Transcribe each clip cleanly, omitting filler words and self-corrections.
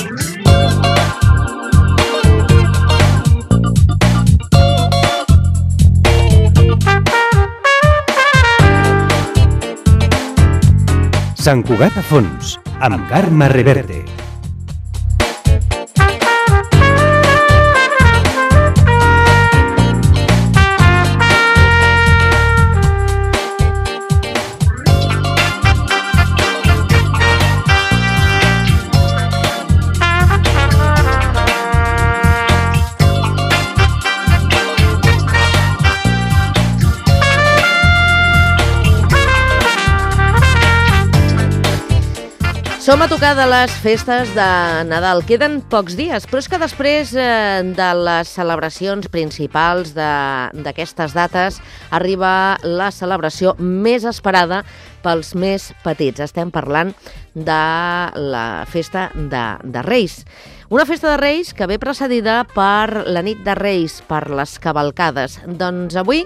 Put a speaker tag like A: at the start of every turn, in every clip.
A: Sant Cugat a fons, amb Carme Reverte.
B: Som a tocar de les festes de Nadal. Queden pocs dies, però és que després de les celebracions principals d'aquestes dates arriba la celebració més esperada pels més petits. Estem parlant de la festa de Reis. Una festa de Reis que ve precedida per la nit de Reis, per les cavalcades. Doncs avui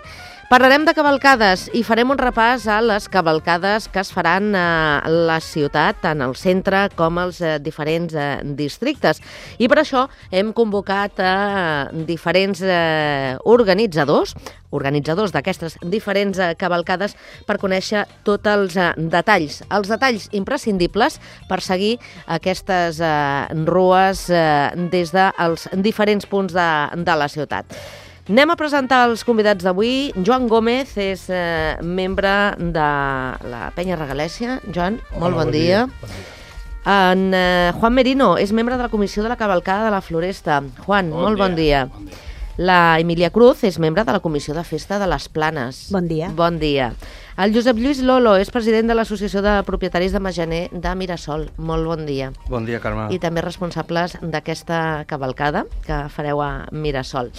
B: parlarem de cavalcades i farem un repàs a les cavalcades que es faran a la ciutat, tant al centre com als diferents districtes. I per això hem convocat a diferents organitzadors d'aquestes diferents cavalcades per conèixer tots els detalls imprescindibles per seguir aquestes rues des dels diferents punts de la ciutat. Anem a presentar els convidats d'avui. Joan Gómez és membre de la Penya Regalèssia. Joan, molt bon dia. En Juan Merino és membre de la Comissió de la Cavalcada de la Floresta. Juan, molt bon dia. La Emilia Cruz és membre de la Comissió de Festa de les Planes.
C: Bon dia.
B: Bon dia. El Josep Lluís Lolo és president de l'Associació de Propietaris de Majaner de Mirasol. Molt bon dia.
D: Bon dia, Carme.
B: I també responsables d'aquesta cavalcada que fareu a Mirasol.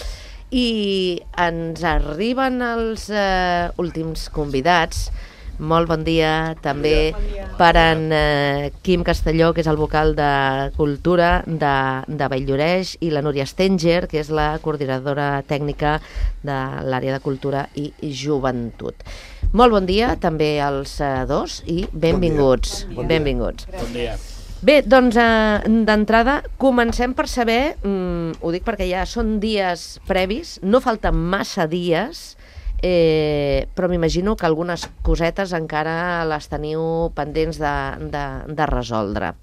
B: I ens arriben els últims convidats. Molt bon dia també per en Quim Castelló, que és el vocal de Cultura de Vall-lloreix, i la Núria Stenger, que és la coordinadora tècnica de l'àrea de Cultura i Joventut. Molt bon dia també als dos i benvinguts. Benvinguts.
D: Bon dia.
B: Bé, doncs d'entrada comencem per saber, ho dic perquè ja són dies previs, no falten massa dies, però m'imagino que algunes cosetes encara les teniu pendents de resoldre.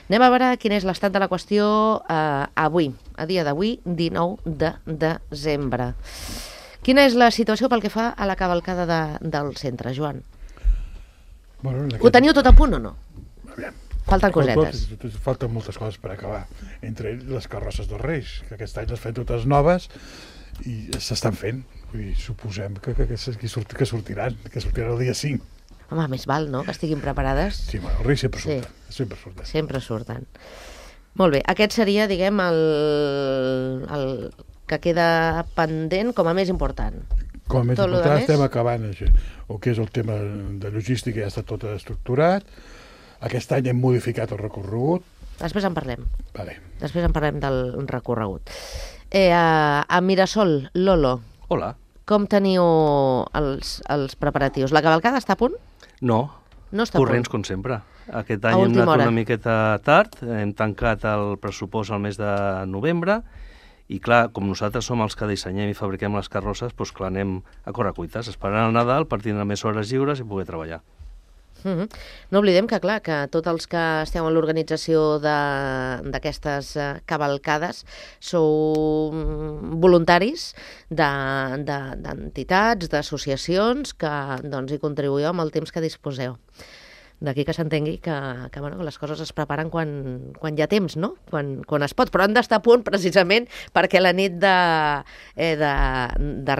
B: Anem a veure quin és l'estat de la qüestió avui, a dia d'avui, 19 de desembre. Quina és la situació pel que fa a la cavalcada del centre, Joan? Ho teniu tot a punt o no? Falten cosetes.
E: Falten moltes coses per acabar. Entre les carrosses dels Reis, que aquest any les fem totes noves i s'estan fent. I suposem que sortiran el dia 5.
B: Home, més val, no?, que estiguin preparades.
E: Sí, bueno, els Reis sempre surten.
B: Sempre surten. Molt bé, aquest seria, diguem, el que queda pendent com a més important.
E: Com a més important estem acabant això. El que és el tema de logística ja està tot estructurat. Aquest any hem modificat el recorregut.
B: Després en parlem.
E: Vale.
B: Després en parlem del recorregut. A Mirasol, Lolo.
D: Hola.
B: Com teniu els preparatius? La cavalcada està a punt?
D: No
B: està
D: corrents com sempre. Aquest any hem anat una miqueta tard, hem tancat el pressupost al mes de novembre i clar, com nosaltres som els que dissenyem i fabriquem les carrosses, doncs clar, anem a correcuites, esperant el Nadal per tindre més hores lliures i poder treballar.
B: No oblidem que, clar, que tots els que esteu en l'organització d'aquestes cavalcades sou voluntaris d'entitats, d'associacions que hi contribuïu amb el temps que disposeu. D'aquí que s'entengui que les coses es preparen quan hi ha temps, no? Quan es pot, però han d'estar a punt precisament perquè la nit de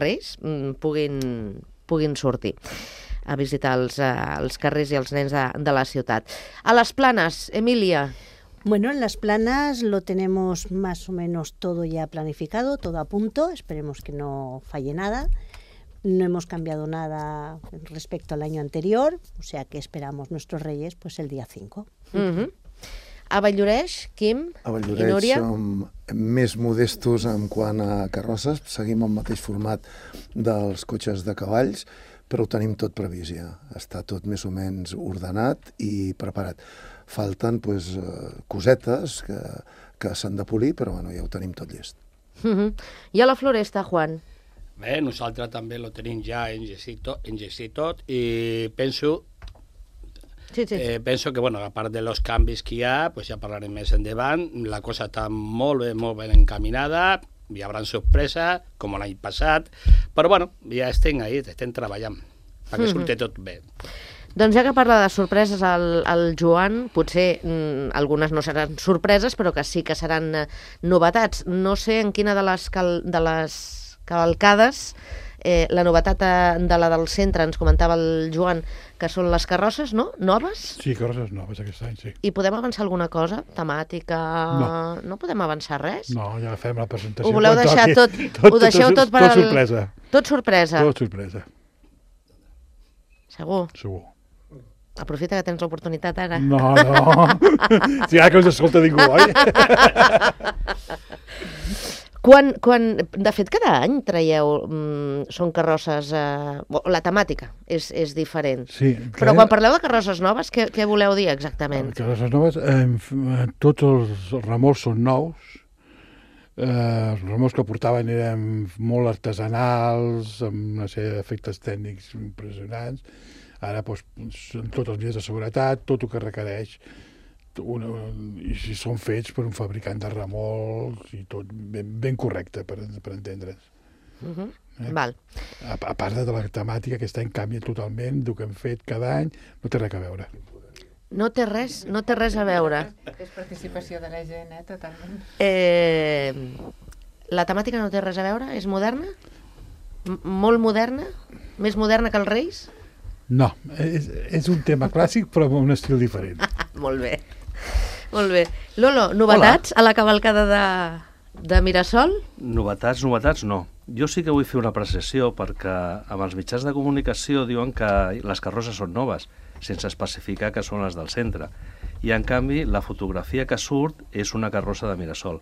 B: Reis puguin sortir a visitar els carrers i els nens de la ciutat. A les Planes, Emilia.
C: Bueno, en las Planas lo tenemos más o menos todo ya planificado, todo a punto, esperemos que no falle nada. No hemos cambiado nada respecto al año anterior, o sea que esperamos nuestros Reyes pues el día 5.
B: A Vall-lloreix, Quim i Núria?
F: A Vall-lloreix som més modestos en quant a carrosses, seguim el mateix format dels cotxes de cavalls, però ho tenim tot previst ja. Està tot més o menys ordenat i preparat. Falten cosetes que s'han de polir, però bueno, ja ho tenim tot llest.
B: I a la Floresta, Juan?
G: Bé, nosaltres també lo tenim ja engestit tot i penso que, bueno, a part de los canvis que hi ha, pues ja parlarem més endavant, la cosa està molt ben encaminada, hi haurà sorpresa, com l'any passat, però bueno, ja estem treballant perquè surti tot bé.
B: Doncs ja que parla de sorpreses el Joan, potser algunes no seran sorpreses, però que sí que seran novetats. No sé en quina de les cavalcades, la novetat de la del centre, ens comentava el Joan, que són les carrosses, no? Noves?
E: Sí, carrosses noves aquest any, sí.
B: I podem avançar alguna cosa? Temàtica? No podem avançar res?
E: No, ja fem la presentació.
B: Ho voleu deixar tot? Ho deixeu tot per
E: Tot sorpresa.
B: Tot sorpresa?
E: Tot sorpresa.
B: Segur?
E: Segur.
B: Aprofita que tens l'oportunitat ara.
E: No. Si ara que us escolta ningú, oi? De fet, cada any traieu... Són carrosses... La temàtica és diferent. Sí.
B: Però quan parleu de carrosses noves, què voleu dir exactament?
E: Carrosses noves, tots els remolcs són nous. Els remolcs que portaven eren molt artesanals, amb una sèrie d'efectes tècnics impressionants. Ara són tots els dies de seguretat, tot el que requereix, i si són fets per un fabricant de remolcs i tot ben correcte, per entendre's.
B: Val.
E: A part de la temàtica, aquest any canvia totalment, el que hem fet cada any, no té res a veure.
B: No té res a veure.
H: És participació de la gent, totalment.
B: La temàtica no té res a veure? És moderna? Molt moderna? Més moderna que els Reis?
E: No, és un tema clàssic però amb un estil diferent.
B: Molt bé. Lolo, novetats a la cavalcada de Mirasol?
D: Novetats no. Jo sí que vull fer una apreciació perquè amb els mitjans de comunicació diuen que les carrosses són noves, sense especificar que són les del centre. I en canvi la fotografia que surt és una carrossa de Mirasol.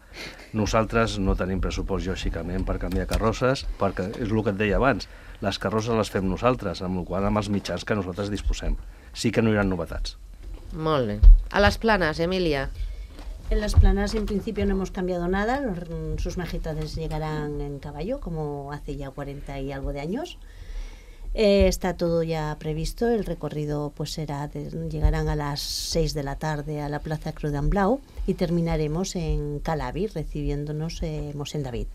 D: Nosaltres no tenim pressupost, lògicament, per canviar carrosses, perquè és el que et deia abans, les carrosses les fem nosaltres, amb el qual amb els mitjans que nosaltres disposem. Sí que no hi ha novetats.
B: Molt bé. A les Planes, Emilia.
C: En las Planas en principio no hemos cambiado nada, sus majestades llegarán en caballo como hace ya 40 y algo de años. Está todo ya previsto, el recorrido pues llegarán a las 6 de la tarde a la Plaza Cruz d'Amblau y terminaremos en Calavi recibiéndonos Mosén David.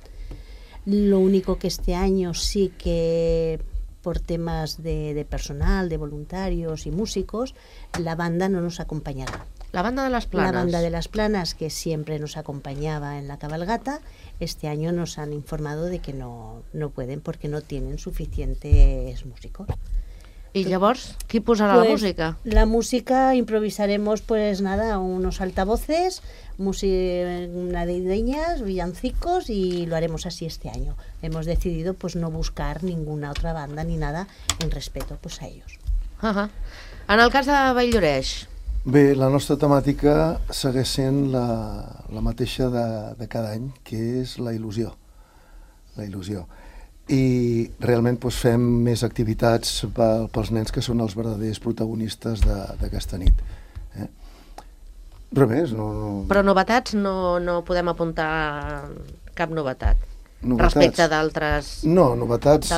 C: Lo único que este año sí que por temas de personal, de voluntarios y músicos, la banda no nos acompañará.
B: La banda de las Planas.
C: La banda de las Planas, que siempre nos acompañaba en la cabalgata, este año nos han informado de que no pueden porque no tienen suficientes músicos.
B: I llavors, qui posarà la música?
C: La música improvisaremos, pues nada, unos altavoces, navideñas, villancicos, y lo haremos así este año. Hemos decidido pues no buscar ninguna otra banda ni nada en respeto pues a ellos.
B: En el cas de Valldoreix?
F: Bé, la nostra temàtica segueix sent la mateixa de cada any, que és la il·lusió. La il·lusió. I realment fem més activitats pels nens que són els verdaders protagonistes d'aquesta nit. Res més, no...
B: Però novetats no podem apuntar cap novetat. Respecte d'altres edicions.
F: No, novetats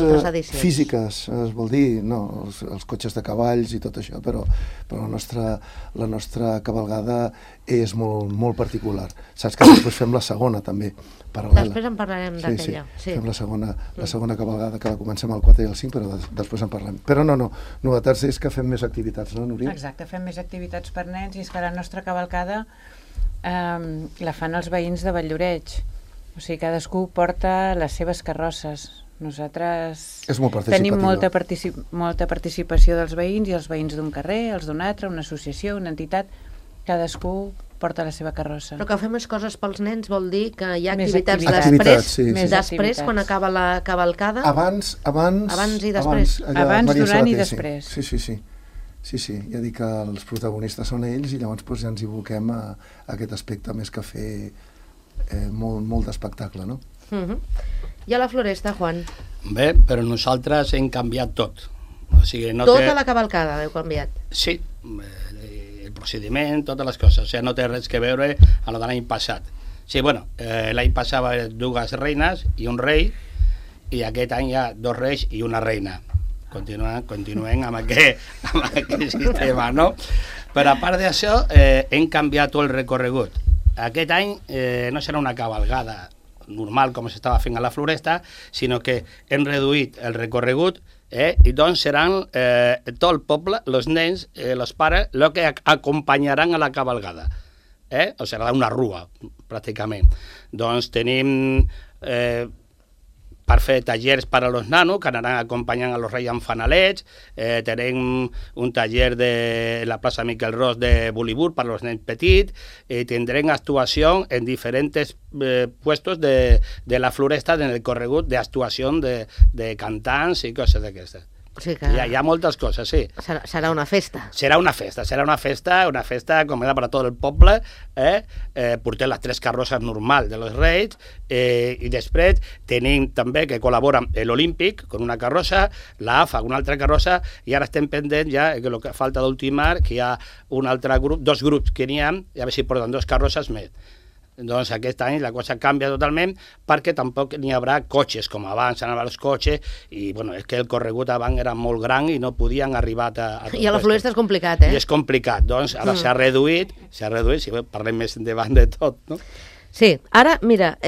F: físiques, es vol dir, no, els cotxes de cavalls i tot això, però la nostra cavalgada és molt particular. Saps que després fem la segona, també, paral·lela.
B: Després en parlarem d'aquella.
F: Sí, fem la segona cavalgada, que la comencem al 4 i al 5, però després en parlem. Però no, novetats és que fem més activitats, no, Núria?
H: Exacte, fem més activitats per nens, i és que la nostra cavalcada la fan els veïns de Valldoreix. O sigui, cadascú porta les seves carrosses. Nosaltres tenim molta participació dels veïns, i els veïns d'un carrer, els d'un altre, una associació, una entitat, cadascú porta la seva carrossa.
B: Però que fem més coses pels nens vol dir que hi ha
F: activitats
B: després, quan acaba la cavalcada?
F: Abans
B: i després.
H: Abans, durant i després.
F: Sí, ja dic que els protagonistes són ells, i llavors ja ens hi aboquem a aquest aspecte més que fer molt d'espectacle, no?
B: I a la Floresta, Juan?
G: Bé, però nosaltres hem canviat tot. O sigui,
B: tota la cavalcada heu canviat?
G: Sí, el procediment, totes les coses. O sigui, no té res que veure amb el de l'any passat. Sí, bueno, l'any passat va haver 2 reines i un rei, i aquest any hi ha 2 reis i una reina. Continuem amb aquest sistema, no? Però a part d'això, hem canviat tot el recorregut. Aquest any no serà una cavalgada normal com s'estava fent a la Floresta, sinó que hem reduït el recorregut i doncs seran tot el poble, els nens, els pares, els que acompanyaran a la cavalgada. O serà una rua, pràcticament. Doncs tenim per fer tallers per als nanos, que anaran acompanyant a los reis amb fanalets, tenim un taller de la plaça Miquel Ros de Bollywood per als nens petits, i tindrem actuació en diferents puestos de la Floresta en el corregut d'actuació de cantants i coses d'aquestes.
B: Sí que...
G: Hi ha moltes coses, sí.
B: Serà una festa.
G: Serà una festa com era per a tot el poble. Portem les 3 carrosses normals dels reis, i després tenim també que col·labora l'Olímpic con una carrossa, la AFA una altra carrossa, i ara estem pendents ja que el que falta d'ultimar, que hi ha un altre grup, 2 grups que n'hi ha, i a veure si porten 2 carrosses més. Doncs aquest any la cosa canvia totalment, perquè tampoc n'hi haurà cotxes com abans anaven els cotxes, i bueno, és que el corregut abans era molt gran i no podien arribar a
B: I a la Floresta és complicat,
G: I és complicat, doncs ara s'ha reduït, si parlem més endavant de tot, no?
B: Sí, ara, mira,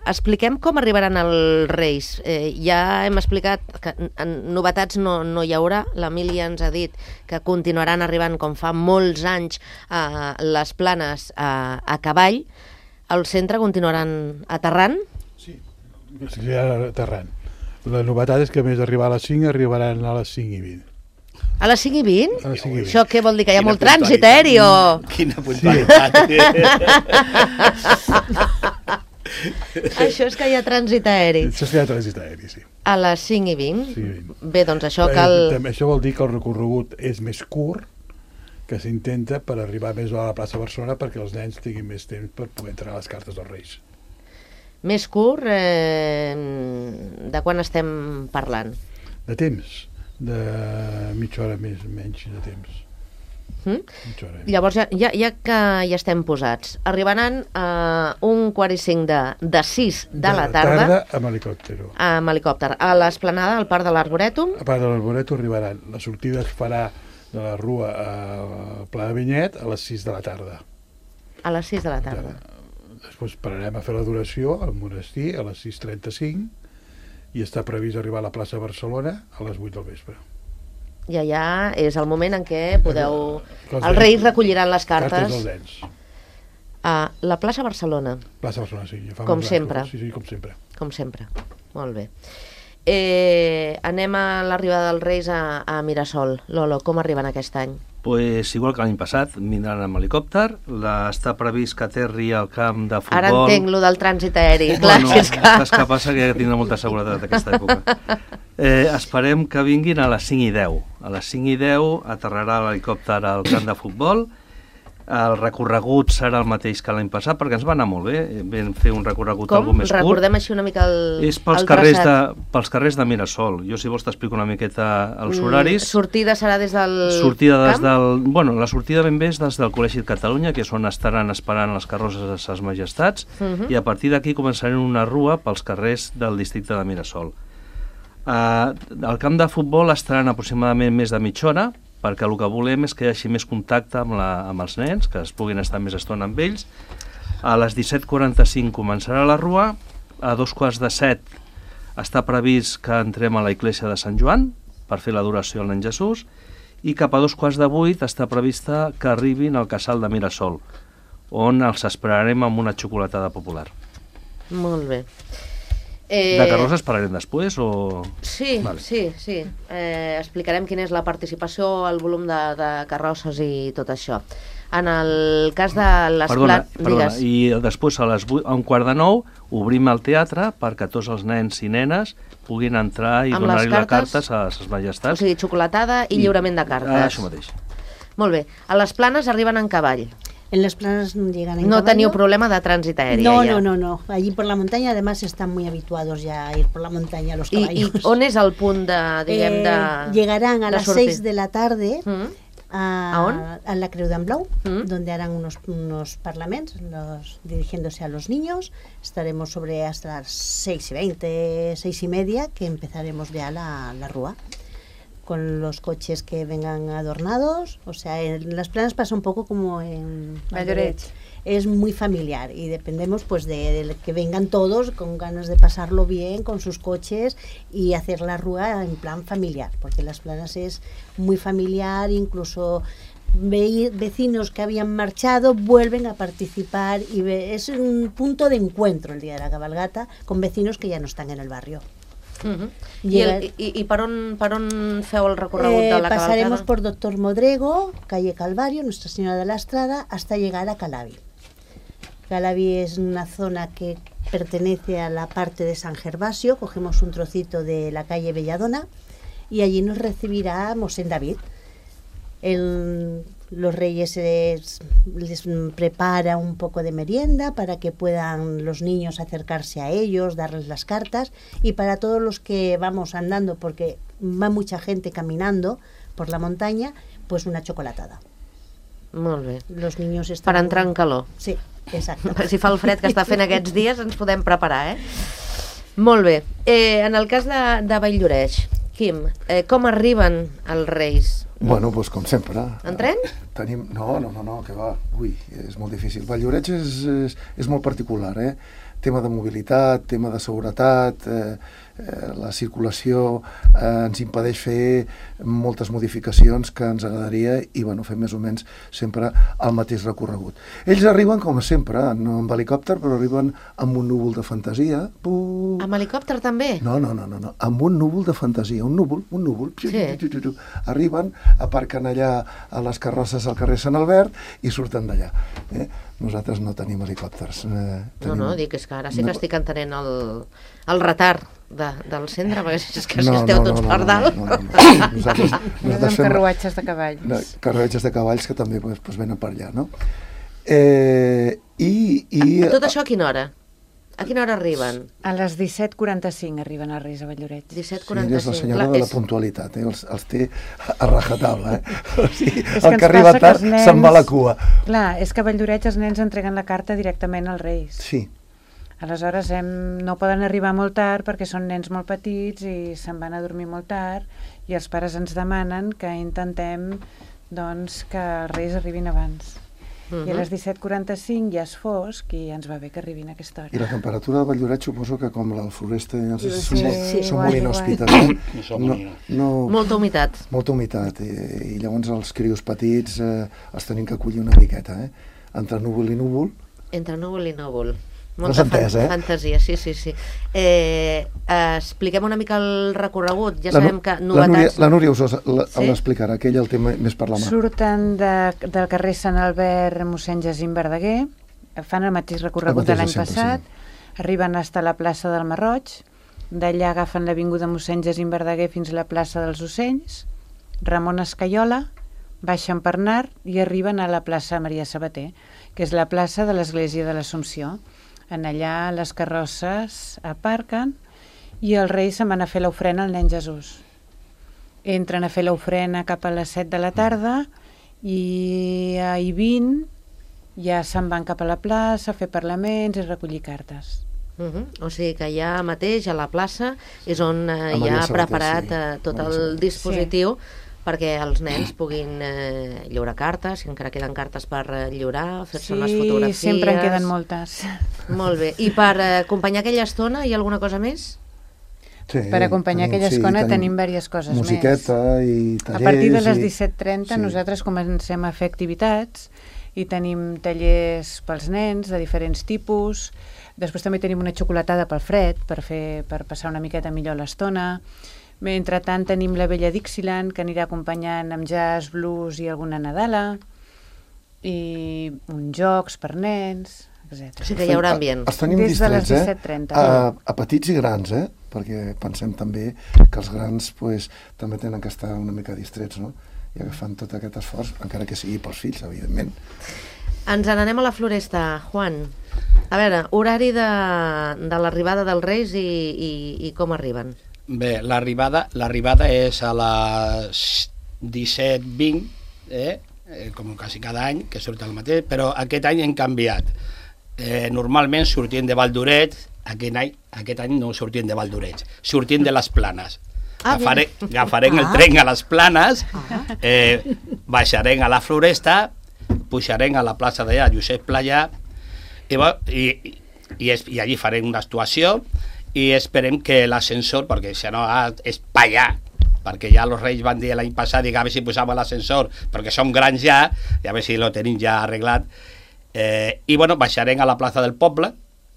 B: expliquem com arribaran els Reis. Ja hem explicat que novetats no hi haurà. L'Emília ens ha dit que continuaran arribant, com fa molts anys, les Planes a cavall. Al centre continuaran aterrant?
E: Sí, aterrant. La novetat és que, a més d'arribar a les 5, arribaran a les 5:20.
B: A les 5:20?
E: A les 5:20.
B: Això què vol dir, que hi ha molt trànsit aeri o...?
G: Quina puntualitat!
B: Això és que hi ha trànsit aeri.
E: Això és que hi ha trànsit aeri, sí.
B: A les 5:20?
E: 5:20.
B: Bé, doncs això cal...
E: Això vol dir que el recorregut és més curt, que s'intenta per arribar més a la plaça Barcelona perquè els nens tinguin més temps per poder entrar a les cartes dels Reis.
B: Més curt, de quan estem parlant?
E: De temps, de mitja hora menys de temps.
B: Llavors, ja que hi estem posats, arribaran a 1:45 de 6 de la tarda
E: amb helicòpter.
B: Amb helicòpter. A l'esplanada, al Parc de l'Arborètum?
E: Al Parc de l'Arborètum arribaran. La sortida es farà de la Rua al Pla de Vinyet a les 6 de la tarda.
B: A les 6 de la tarda.
E: Després pararem a fer l'adoració al monestir a les 6:35 i està previst arribar a la plaça Barcelona a les 8 del vespre.
B: I allà és el moment en què podeu... Els Reis recolliran les cartes.
E: Cartes dels nens.
B: A la plaça Barcelona.
E: Plaça Barcelona, sí.
B: Com sempre.
E: Sí, com sempre.
B: Com sempre. Molt bé. Anem a l'arribada dels Reis a Mirasol. Lolo, com arriben aquest any?
D: Pues igual que l'any passat, vindran amb helicòpter. Està previst que aterri al camp de futbol.
B: Ara entenc lo del trànsit aeri. Clar,
D: bueno, és que passa que tindrà molta seguretat aquesta època. Esperem que vinguin a les 5:10. A les 5:10 aterrarà l'helicòpter al camp de futbol. El recorregut serà el mateix que l'any passat, perquè ens va anar molt bé. Vam fer un recorregut algo més curt.
B: Recordem així una mica el
D: És pels carrers de Mirasol. Jo, si vols, t'explico una miqueta els horaris.
B: Sortida serà des del
D: camp? Bueno, la sortida ben bé és des del Col·legi de Catalunya, que és on estaran esperant les carrosses de ses majestats, i a partir d'aquí començarem una rua pels carrers del districte de Mirasol. Al camp de futbol estaran aproximadament més de mitja hora, perquè el que volem és que hi hagi més contacte amb els nens, que es puguin estar més estona amb ells. A les 17:45 començarà la rua, a 6:45 està previst que entrem a la Iglesia de Sant Joan per fer l'adoració al nen Jesús, i cap a 7:45 està prevista que arribin al casal de Mirasol, on els esperarem amb una xocolatada popular.
B: Molt bé.
D: De carrosses parlarem després o...?
B: Sí, vale. Sí. Explicarem quina és la participació, el volum de carrosses i tot això. En el cas de les...
D: Perdona, i després a 8:45 obrim el teatre perquè tots els nens i nenes puguin entrar i donar-li les cartes a les majestats.
B: O sigui, xocolatada i lliurament de cartes.
D: Això mateix.
B: Molt bé. A les Planes arriben en cavall.
C: En las Planas llegan en
B: No
C: caballo.
B: teniu problema de trànsit aeri.
C: No. Allí por la montaña, además, están muy habituados ya a ir por la montaña los caballos.
B: ¿Y on és el punt de,
C: llegarán a las 6 de la tarde A la Creu d'en Blau, donde harán unos parlaments dirigiéndose a los niños. Estaremos sobre hasta las 6:20, 6:30, que empezaremos ya la rúa, con los coches que vengan adornados. O sea, en Las Planas pasa un poco como en
H: Valloret.
C: Es muy familiar y dependemos pues de que vengan todos con ganas de pasarlo bien con sus coches y hacer la rúa en plan familiar, porque Las Planas es muy familiar, incluso vecinos que habían marchado vuelven a participar y es un punto de encuentro el día de la cabalgata con vecinos que ya no están en el barrio.
B: I per on feu el recorregut de la cabalgada?
C: Pasaremos por Doctor Modrego, calle Calvario, Nuestra Señora de la Estrada, hasta llegar a Calavi. Calavi es una zona que pertenece a la parte de San Gervasio. Cogemos un trocito de la calle Belladona y allí nos recibirá Mosén David. Los reyes les prepara un poco de merienda para que puedan los niños acercarse a ellos, darles las cartas, y para todos los que vamos andando, porque va mucha gente caminando por la montaña, pues una chocolatada.
B: Molt bé.
C: Los niños están...
B: Per entrar en calor.
C: Sí, exacte.
B: Si fa el fred que està fent aquests dies ens podem preparar, Molt bé. En el cas de Valldoreix, Quim, com arriben els Reis?
F: Bueno, doncs com sempre.
B: En tren?
F: No, que va. Ui, és molt difícil. Valldoreix és molt particular, Tema de mobilitat, tema de seguretat, la circulació ens impedeix fer moltes modificacions que ens agradaria i fer més o menys sempre el mateix recorregut. Ells arriben, com sempre, no amb helicòpter, però arriben amb un núvol de fantasia.
B: Amb helicòpter també?
F: No, amb un núvol de fantasia, un núvol. Sí. Arriben, aparquen allà a les carrosses al carrer Sant Albert i surten d'allà. Nosaltres no tenim helicòpters.
B: No, dic, és que ara sí que estic entenent el retard del centre, perquè és que esteu tots per dalt.
F: Nosaltres
H: fem carruatges de cavalls.
F: Carruatges de cavalls que també venen per allà, no?
B: Tot això a quina hora? A quina hora arriben?
H: A les 17:45 arriben els Reis a Valldoreix.
B: 17:45.
F: Sí, és la senyora de la puntualitat, els té a rajatabla, O sigui, el que arriba tard se'n va a la cua.
H: Clar, és que a Valldoreix els nens entreguen la carta directament als Reis.
F: Sí.
H: Aleshores no poden arribar molt tard perquè són nens molt petits i se'n van a dormir molt tard i els pares ens demanen que intentem que els Reis arribin abans. I a les 17:45 ja és fosc i ja ens va bé que arribin a aquesta hora.
F: I la temperatura de Valldoreix suposo que com la Floresta són molt inhòspites.
B: Molta humitat.
F: Molta humitat. I llavors els crios petits els tenim que acollir una miqueta. Entre núvol i núvol.
B: Entre núvol i núvol.
F: Molta
B: fantasia, sí. Expliquem una mica el recorregut. Ja sabem que novetats...
F: La Núria us l'explicarà, que ella el té més per la mà.
H: Surten del carrer Sant Albert mossèn Jacint Verdaguer, fan el mateix recorregut de l'any passat, arriben fins a la plaça del Marroig, d'allà agafen l'avinguda mossèn Jacint Verdaguer fins a la plaça dels Ocells, Ramon Escaiola, baixen per Nart i arriben a la plaça Maria Sabater, que és la plaça de l'Església de l'Assumpció. En allà les carrosses aparquen i els Reis se'n van a fer l'ofrena al nen Jesús. Entren a fer l'ofrena cap a les 7 de la tarda i a I20 ja se'n van cap a la plaça a fer parlaments i recollir cartes.
B: O sigui que allà mateix a la plaça és on hi ha preparat tot el dispositiu perquè els nens puguin lliurar cartes, si encara queden cartes per lliurar, fer-se unes fotografies...
H: Sí, sempre en queden moltes.
B: Molt bé. I per acompanyar aquella estona hi ha alguna cosa més?
F: Sí,
H: per acompanyar aquella estona tenim diverses coses més.
F: Musiqueta i tallers...
H: A partir de les 17:30 nosaltres comencem a fer activitats i tenim tallers pels nens de diferents tipus. Després també tenim una xocolatada pel fred per passar una miqueta millor l'estona. Mentrestant tenim la Vella Dixieland, que anirà acompanyant amb jazz, blues i alguna nadala, i uns jocs per nens, etc.
B: O sigui que hi haurà ambient.
F: Els tenim
H: des
F: distrets,
H: de les 17:30.
F: A petits i grans, perquè pensem també que els grans també tenen que estar una mica distrets, no? I agafant tot aquest esforç, encara que sigui pels fills, evidentment.
B: Ens n'anem a la Floresta, Juan. A veure, horari de l'arribada dels Reis i com arriben.
G: Bé, l'arribada és a les 17:20 com quasi cada any, que surt el mateix, però aquest any hem canviat. Normalment sortien de Valldoreix, aquest any no sortien de Valldoreix, sortien de les Planes. Agafarem el tren a les Planes, baixarem a la Floresta, pujarem a la plaça d'allà, Josep Playà, i allí farem una actuació i esperem que l'ascensor, perquè si no és Pallà, perquè ja els Reis van dir l'any passat, a veure si posava l'ascensor, perquè som grans ja, i a veure si lo tenim ja arreglat. I bueno, baixarem a la plaça del poble,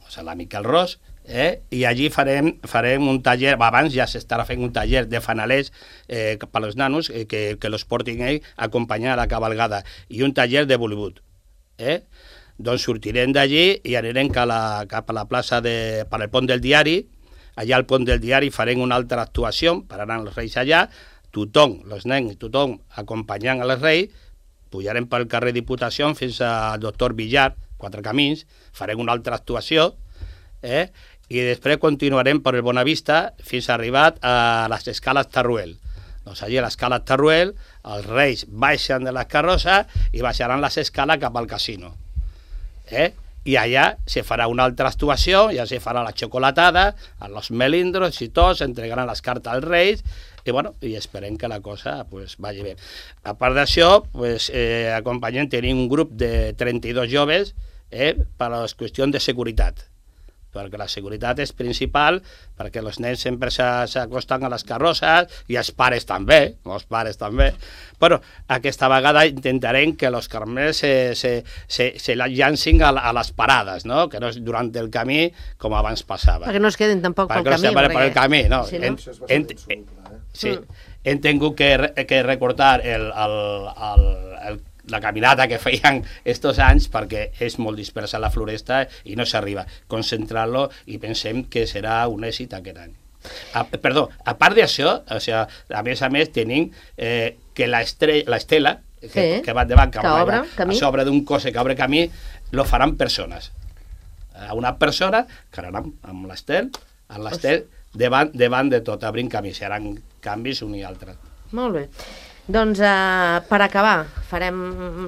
G: o sigui, la Miquel Ros, i allí farem un taller, abans ja s'estarà fent un taller de fanalers per als nanos, que los portin ells a acompanyar a la cabalgada, i un taller de Bollywood. Doncs sortirem d'allí i anirem cap a la plaça per al Pont del Diari. Allà al Pont del Diari farem una altra actuació, pararan els Reis allà, tothom, els nens, tothom acompanyant els Reis, pujarem pel carrer Diputació fins al Doctor Villar, Quatre Camins, farem una altra actuació, i després continuarem per el Bonavista fins a arribar a les escales Tarruel. Doncs allà a l'escala Tarruel els Reis baixen de les carrosses i baixaran les escales cap al casino. I allà se farà una altra actuació, ja se farà la xocolatada, els melindros i tots, entregaran les cartes als Reis, i esperem que la cosa vagi bé. A part d'això, acompanyem, tenim un grup de 32 joves per a les qüestions de seguretat, perquè la seguretat és principal, perquè els nens sempre s'acosten a les carrosses, i els pares també, però aquesta vegada intentarem que els carmels se llancin a les parades, que no és durant el camí com abans passava.
B: Perquè no es quedin tampoc pel camí.
G: Per el camí, no. Sí, hem tingut que recortar la caminata que feien estos anys perquè és molt dispersa la floresta i no s'arriba. Concentrar-lo i pensem que serà un èxit aquest any. A part d'això, a més tenim que l'estela que va endavant, a sobre d'un cos que obre camí, lo faran persones. Una persona que anarà amb l'estel, davant de tot, obrint camí, seran canvis un i altre.
B: Molt bé. Doncs per acabar, farem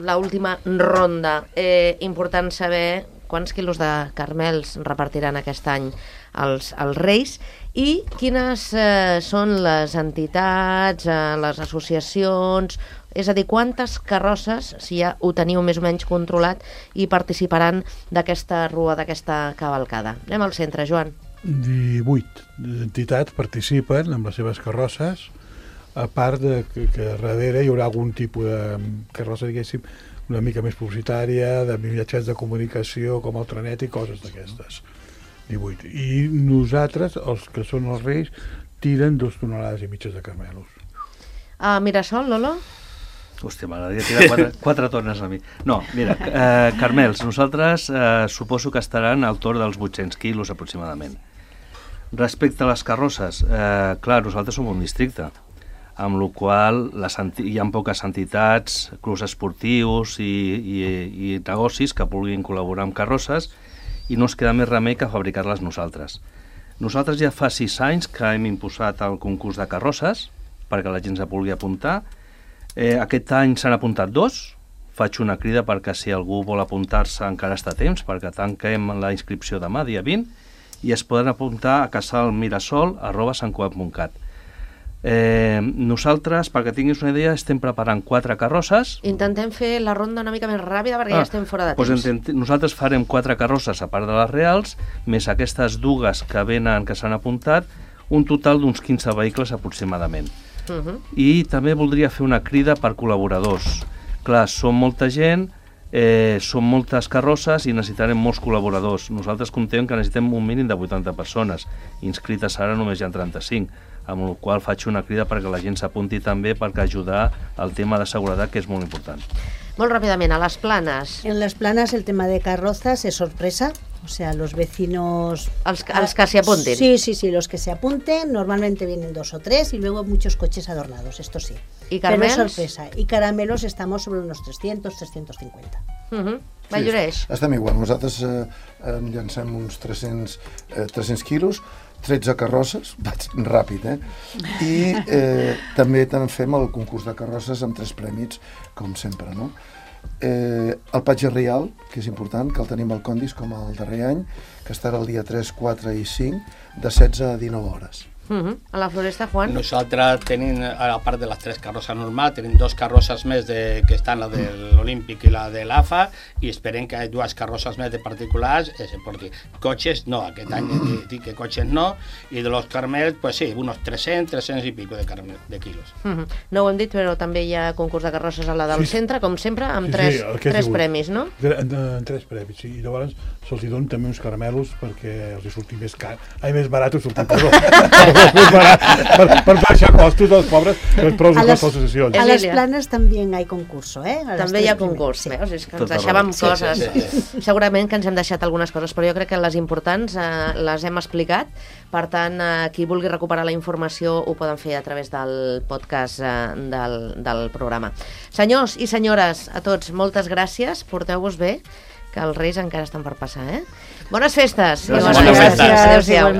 B: l'última ronda. Important saber quants quilos de carmels repartiran aquest any els Reis i quines són les entitats, les associacions, és a dir, quantes carrosses, si ja ho teniu més o menys controlat, hi participaran d'aquesta rua, d'aquesta cavalcada. Anem al centre, Joan.
E: 18 entitats participen amb les seves carrosses, a part que darrere hi haurà algun tipus de carrossa, diguéssim, una mica més publicitària, de mitjans de comunicació, com el trenet i coses d'aquestes. 18. I nosaltres, els que són els Reis, tiren 2 tonelades i mitges de carmelos.
B: Mirasol, Lolo?
D: Hòstia, m'agradaria tirar 4 tones a mi. No, mira, carmels, nosaltres suposo que estaran al torn dels 800 quilos aproximadament. Respecte a les carrosses, clar, nosaltres som un districte, amb la qual hi ha poques entitats, clubs esportius i negocis que vulguin col·laborar amb carrosses i no ens queda més remei que fabricar-les nosaltres. Nosaltres ja fa 6 anys que hem imposat el concurs de carrosses perquè la gent se vulgui apuntar. Aquest any s'han apuntat 2. Faig una crida perquè si algú vol apuntar-se encara està a temps, perquè tanquem la inscripció demà, dia 20, i es poden apuntar a casalmirasol@santcugat.cat. Nosaltres, perquè tinguis una idea, estem preparant 4 carrosses.
B: Intentem fer la ronda una mica més ràpida perquè ja estem fora de temps.
D: Nosaltres farem 4 carrosses a part de les reals, més aquestes dues que venen, que s'han apuntat, un total d'uns 15 vehicles aproximadament. I també voldria fer una crida per col·laboradors. Clar, som molta gent, són moltes carrosses i necessitarem molts col·laboradors. Nosaltres comptem que necessitem un mínim de 80 persones, inscrites ara només hi ha 35, amb la qual faig una crida perquè la gent s'apunti també perquè ajudar al tema de seguretat, que és molt important.
B: Molt ràpidament, a les Planes.
C: En las Planas el tema de carrozas es sorpresa, o sea, los vecinos...
B: Els que se apunten.
C: Sí, los que se apunten, normalmente vienen 2 o 3 y luego muchos coches adornados, esto sí.
B: ¿Y caramelos?
C: Pero es sorpresa. Y caramelos estamos sobre unos 300, 350.
B: Valloreix.
F: Estem igual. Nosaltres llancem uns 300 quilos, 13 carrosses, vaig ràpid, i també fem el concurs de carrosses amb 3 prèmits, com sempre, no? El Patge Real, que és important, que el tenim al Condis com el darrer any, que estarà el dia 3, 4 i 5, de 16 a 19 hores.
B: A la Floresta, Juan?
G: Nosaltres tenim, a part de les 3 carrosses normals, tenim 2 carrosses més que estan la de l'Olímpic i la de l'AFA, i esperem que 2 carrosses més de particulars se portin. Cotxes no, aquest any dic que cotxes no, i de los Carmels, pues sí, unos 300 i pico de quilos.
B: No ho hem dit, però també hi ha concurs de carrosses a la del centre, com sempre, amb 3 premis, no?
E: 3 premis, sí, i llavors se'ls donen també uns caramelos perquè els surti més car, més barat sortir, perdó. Per baixar costos dels pobres, però els costen les associacions.
C: A les Planes també hi ha concurso,
B: També hi ha concurs, veus? És que ens deixàvem coses. Segurament que ens hem deixat algunes coses, però jo crec que les importants les hem explicat. Per tant, qui vulgui recuperar la informació ho poden fer a través del podcast del programa. Senyors i senyores, a tots, moltes gràcies, porteu-vos bé, que els Reis encara estan per passar, Bones festes!
G: Bones festes!
B: Adéu-siau!